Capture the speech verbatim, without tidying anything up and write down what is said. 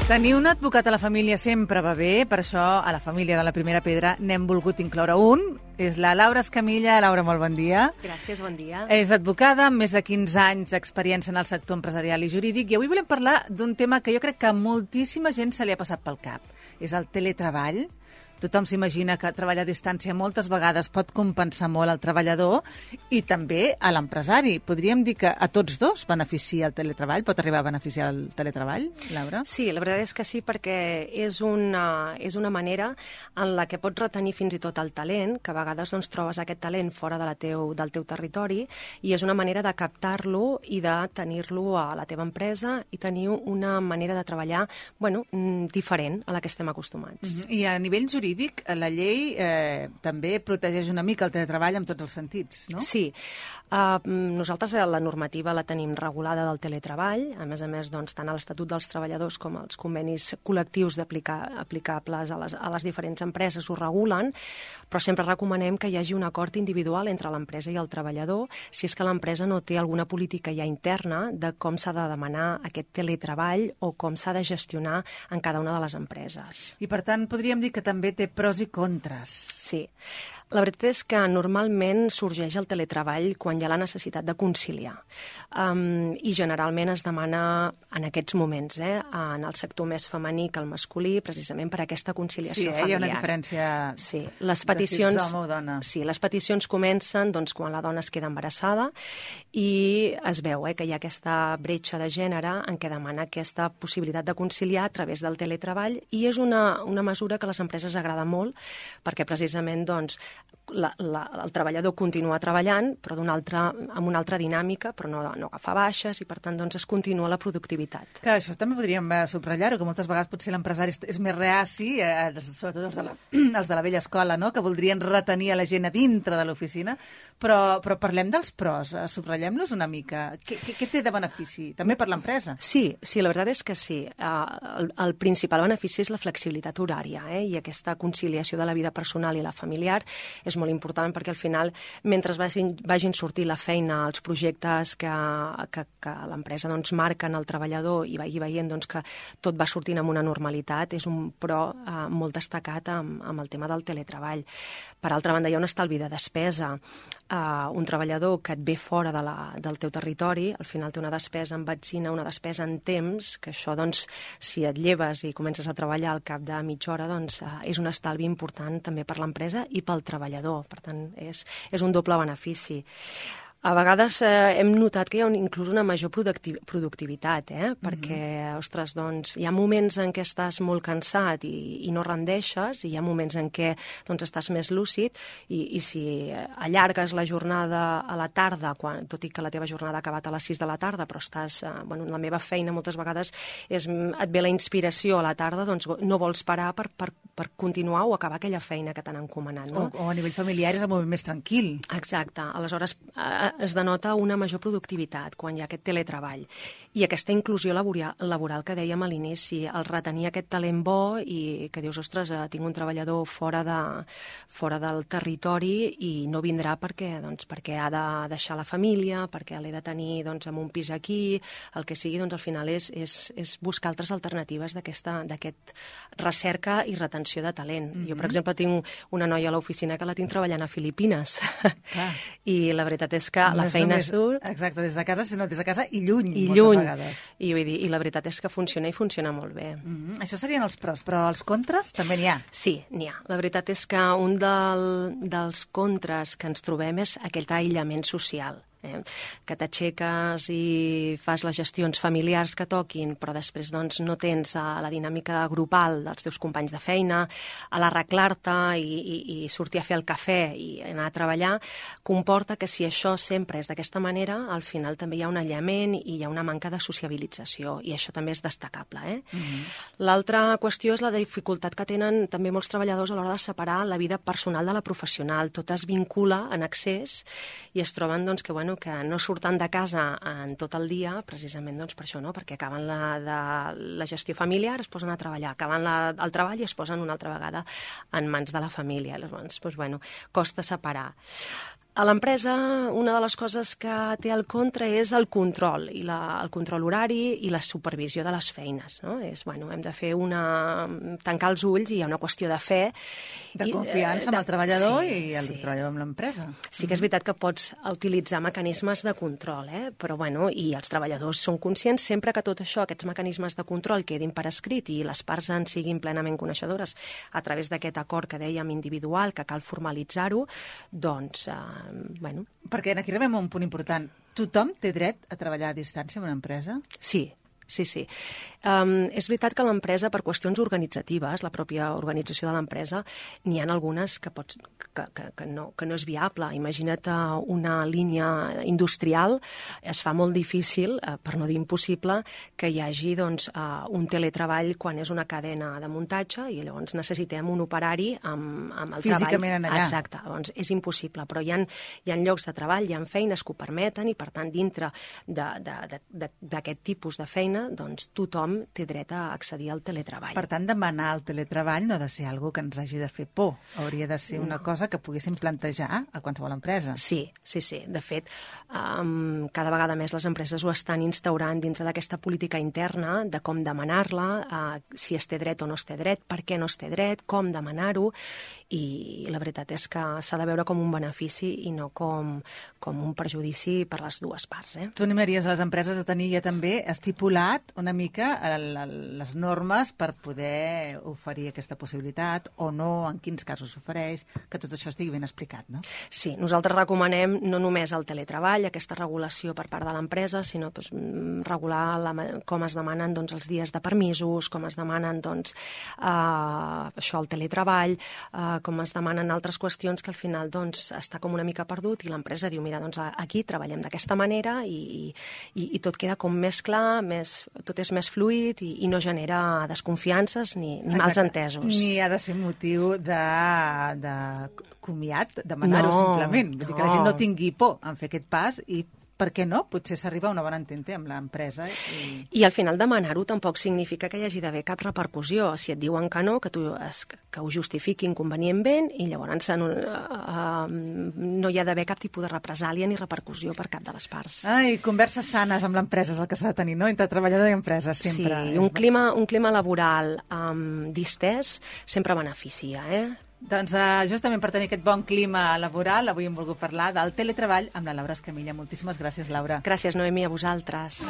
Tenir un advocat a la família sempre va bé, per això a la família de la Primera Pedra n'hem volgut incloure un. És la Laura Escamilla. Laura, molt bon dia. Gràcies, bon dia. És advocada amb més de quinze anys d'experiència en el sector empresarial i jurídic i avui volem parlar d'un tema que jo crec que a moltíssima gent se li ha passat pel cap. És el teletreball. Tothom s'imagina que treballar a distància moltes vegades pot compensar molt al treballador i també a l'empresari. Podríem dir que a tots dos beneficia el teletreball? Pot arribar a beneficiar el teletreball, Laura? Sí, la veritat és que sí, perquè és una, és una manera en la que pots retenir fins i tot el talent, que a vegades doncs, trobes aquest talent fora de la teu, del teu territori, i és una manera de captar-lo i de tenir-lo a la teva empresa i tenir una manera de treballar bueno, diferent a la que estem acostumats. Mm-hmm. I a nivell jurídic, la llei eh, també protegeix una mica el teletreball en tots els sentits, no? Sí. Uh, nosaltres la normativa la tenim regulada del teletreball. A més a més, doncs, tant a l'Estatut dels Treballadors com als convenis col·lectius aplicables a les, a les diferents empreses ho regulen, però sempre recomanem que hi hagi un acord individual entre l'empresa i el treballador si és que l'empresa no té alguna política ja interna de com s'ha de demanar aquest teletreball o com s'ha de gestionar en cada una de les empreses. I, per tant, podríem dir que també té pros i contres. Sí. La veritat és que normalment sorgeix el teletreball quan hi ha la necessitat de conciliar. Um, I generalment es demana en aquests moments, eh, en el sector més femení que el masculí, precisament per aquesta conciliació sí, eh, familiar. Sí, hi ha una diferència sí, les peticions, de si ets home o dona. Sí, les peticions comencen doncs, quan la dona es queda embarassada i es veu eh, que hi ha aquesta bretxa de gènere en què demana aquesta possibilitat de conciliar a través del teletreball i és una, una mesura que a les empreses agrada molt perquè precisament doncs, La, la, el treballador continua treballant, però d'una altra, amb una altra dinàmica, però no, no agafa baixes i, per tant, doncs, es continua la productivitat. Clar, això també podríem eh, subratllar-ho, que moltes vegades potser l'empresari és, és més reaci, eh, sobretot els de, la, els de la vella escola, no?, que voldrien retenir a la gent a dintre de l'oficina, però, però parlem dels pros, eh, subratllem-los una mica. Què, què, què té de benefici? També per l'empresa? Sí, sí, la veritat és que sí. Uh, el, el principal benefici és la flexibilitat horària, eh, i aquesta conciliació de la vida personal i la familiar és molt important perquè al final, mentre vagin, vagin sortir la feina, els projectes que, que, que l'empresa doncs, marca en el treballador i vagi veient doncs, que tot va sortint amb una normalitat, és un pro eh, molt destacat amb, amb el tema del teletreball. Per altra banda, hi ha un estalvi de despesa. Uh, un treballador que et ve fora de la, del teu territori, al final té una despesa en benzina, una despesa en temps, que això, doncs, si et lleves i comences a treballar al cap de mitja hora, doncs, uh, és un estalvi important també per l'empresa i pel treballador. Per tant, és, és un doble benefici. A vegades eh, hem notat que hi ha un, inclús una major productiv productivitat, eh? perquè, mm-hmm. ostres, doncs, hi ha moments en què estàs molt cansat i, i no rendeixes, i hi ha moments en què doncs, estàs més lúcid, i, i si allargues la jornada a la tarda, quan, tot i que la teva jornada ha acabat a les sis de la tarda, però estàs, eh, bueno, la meva feina moltes vegades és, et ve la inspiració a la tarda, doncs no vols parar per, per, per continuar o acabar aquella feina que t'han encomanat. No? O, o a nivell familiar és el moment més tranquil. Exacte. Aleshores, eh, es denota una major productivitat quan hi ha aquest teletreball. I aquesta inclusió laboral, laboral que dèiem a l'inici, el retenir aquest talent bo i que dius, ostres, tinc un treballador fora, de, fora del territori i no vindrà perquè, doncs, perquè ha de deixar la família, perquè l'he de tenir doncs, en un pis aquí, el que sigui, doncs al final és, és, és buscar altres alternatives d'aquesta d'aquest recerca i retenció de talent. Mm-hmm. Jo, per exemple, tinc una noia a l'oficina que la tinc treballant a Filipines. Clar. I la veritat és que que la feina només, surt... Exacte, des de casa, sinó des de casa i lluny, I moltes lluny. vegades. I, vull dir, I la veritat és que funciona i funciona molt bé. Mm-hmm. Això serien els pros, però els contres també n'hi ha. Sí, n'hi ha. La veritat és que un del, dels contres que ens trobem és aquest aïllament social. Eh? Que t'aixeques i fas les gestions familiars que toquin, però després doncs, no tens uh, la dinàmica grupal dels teus companys de feina, a l'arreglar-te i, i, i sortir a fer el cafè i anar a treballar, comporta que si això sempre és d'aquesta manera, al final també hi ha un aïllament i hi ha una manca de sociabilització, i això també és destacable. Eh? Mm-hmm. L'altra qüestió és la dificultat que tenen també molts treballadors a l'hora de separar la vida personal de la professional. Tot es vincula en excés i es troben doncs, que, bueno, que no surten de casa en tot el dia, precisament doncs, per això, no? Perquè acaben la, de, la gestió familiar, es posen a treballar, acaben la, el treball i es posen una altra vegada en mans de la família. Llavors, doncs, bueno, costa separar. A l'empresa, una de les coses que té al contra és el control, i la, el control horari i la supervisió de les feines. No? És, bueno, hem de fer una... tancar els ulls i hi ha una qüestió de fe. De i, confiança eh, amb el treballador sí, i el sí. treballador amb l'empresa. Sí que és veritat que pots utilitzar mecanismes de control, eh? Però bueno, i els treballadors són conscients sempre que tot això, aquests mecanismes de control quedin per escrit i les parts en siguin plenament coneixedores a través d'aquest acord que dèiem individual, que cal formalitzar-ho, doncs, eh, bueno... Perquè aquí arribem a un punt important. Tothom té dret a treballar a distància en una empresa? Sí, sí, sí. Um, és veritat que l'empresa, per qüestions organitzatives, la pròpia organització de l'empresa, n'hi ha algunes que, pots, que, que, que, no, que no és viable. Imagina't una línia industrial, es fa molt difícil, eh, per no dir impossible, que hi hagi doncs, uh, un teletreball quan és una cadena de muntatge i llavors necessitem un operari amb, amb el físicament treball. Allà. Exacte, doncs és impossible, però hi ha, hi ha llocs de treball, hi ha feines que ho permeten i, per tant, dintre d'aquest tipus de feina, doncs tothom té dret a accedir al teletreball. Per tant, demanar el teletreball no ha de ser algo que ens hagi de fer por. Hauria de ser una no. cosa que poguéssim plantejar a qualsevol empresa. Sí, sí, sí. De fet, um, cada vegada més les empreses ho estan instaurant dintre d'aquesta política interna de com demanar-la, uh, si es té dret o no es té dret, per què no es té dret, com demanar-ho, i la veritat és que s'ha de veure com un benefici i no com, com un perjudici per les dues parts. Eh? Tu animaries a les empreses a tenir ja també estipulat una mica les normes per poder oferir aquesta possibilitat o no, en quins casos s'ofereix, que tot això estigui ben explicat, no? Sí, nosaltres recomanem no només el teletreball, aquesta regulació per part de l'empresa, sinó doncs, regular la, com es demanen doncs, els dies de permisos, com es demanen doncs, uh, això, el teletreball, uh, com es demanen altres qüestions que al final doncs, està com una mica perdut i l'empresa diu, mira, doncs aquí treballem d'aquesta manera i, i, i tot queda com més clar, més, tot és més fluid i, i no genera desconfiances ni, ni mals entesos. Ni ha de ser motiu de, de comiat, demanar-ho no, simplement. Vull dir que no. la gent no tingui por en fer aquest pas i per què no? Potser s'arriba a una bona entente amb l'empresa. I... I al final demanar-ho tampoc significa que hi hagi d'haver cap repercussió. Si et diuen que no, que, tu es, que ho justifiquin convenientment i llavors no, uh, no hi ha d'haver cap tipus de represàlia ni repercussió per cap de les parts. Ai, converses sanes amb l'empresa és el que s'ha de tenir, no? Entre treballador i empresa, sempre. Sí, un clima, un clima laboral um, distès sempre beneficia, eh? Doncs uh, justament per tenir aquest bon clima laboral, avui hem volgut parlar del teletreball amb la Laura Escamilla. Moltíssimes gràcies, Laura. Gràcies, Noemi, a vosaltres.